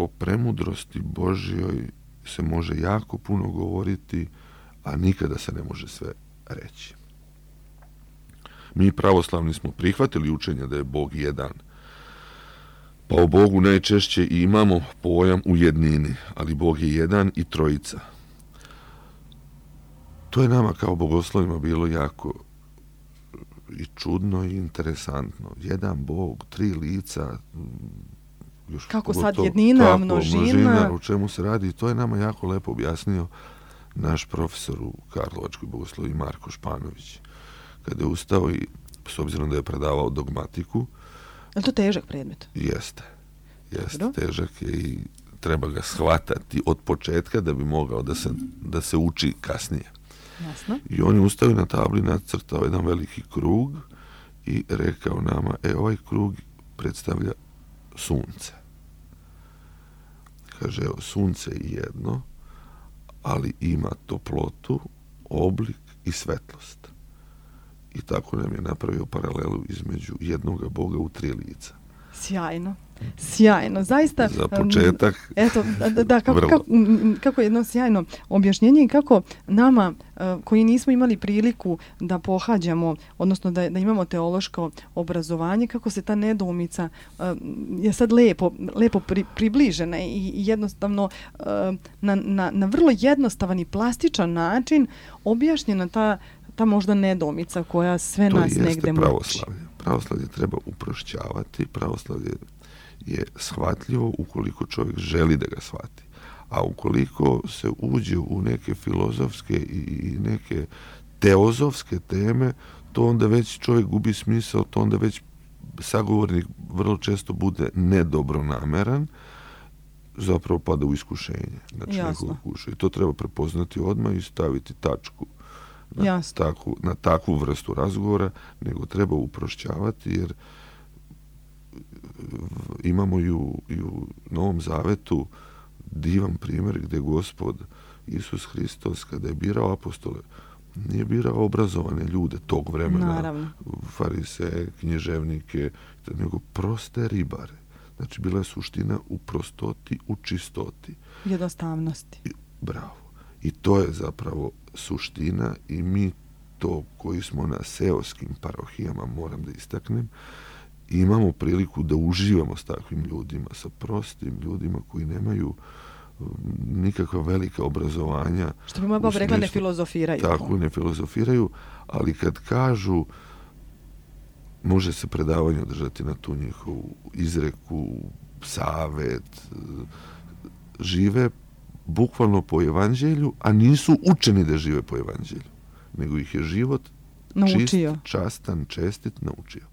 o premudrosti Božjoj se može jako puno govoriti, a nikada se ne može sve reći. Mi pravoslavni smo prihvatili učenje da je Bog jedan. Pa o Bogu najčešće i imamo pojam u jednini, ali Bog je jedan i trojica. To je nama kao bogoslovima bilo jako i čudno i interesantno. Jedan Bog, tri lica. Još kako sad jednina, množina. O čemu se radi. To je nama jako lepo objasnio naš profesor u Karlovačkoj bogoslovi Marko Španović. Kada je ustao i s obzirom da je predavao dogmatiku. Je to težak predmet? Jeste, težak je i treba ga shvatati od početka da bi mogao da se uči kasnije. Jasno. I on je ustao na tabli, nacrtao jedan veliki krug i rekao nama, ovaj krug predstavlja sunce. Kaže, evo, sunce je jedno, ali ima toplotu, oblik i svetlost. I tako nam je napravio paralelu između jednoga Boga u tri lica. Sjajno, zaista. Za početak. Eto, kako jedno sjajno objašnjenje i kako nama koji nismo imali priliku da pohađamo, odnosno da imamo teološko obrazovanje, kako se ta nedoumica je sad lepo približena i jednostavno na vrlo jednostavan i plastičan način objašnjena ta možda nedoumica koja sve nas negde muči. To jeste pravoslavlje. Pravoslavlje treba uprošćavati, pravoslavlje je shvatljivo ukoliko čovjek želi da ga shvati. A ukoliko se uđe u neke filozofske i neke teozofske teme, to onda već čovjek gubi smisao, to onda već sagovornik vrlo često bude nedobronameran, zapravo pada u iskušenje. Znači, i to treba prepoznati odmah i staviti tačku na takvu vrstu razgovora, nego treba uprošćavati, jer imamo i u Novom Zavetu divan primjer gdje Gospod Isus Hristos, kada je birao apostole, nije birao obrazovane ljude tog vremena, naravno, fariseje, književnike, nego proste ribare. Znači, bila je suština u prostoti, u čistoti. Jednostavnosti. Bravo. I to je zapravo suština i mi to koji smo na seoskim parohijama, moram da istaknem, imamo priliku da uživamo s takvim ljudima, sa prostim ljudima koji nemaju nikakva velika obrazovanja. Što bi moja baba rekla, ne filozofiraju. Tako, ne filozofiraju, ali kad kažu može se predavanje održati na tu njihovu izreku, savet, žive bukvalno po evanđelju, a nisu učeni da žive po evanđelju, nego ih je život čist, častan, čestit naučio.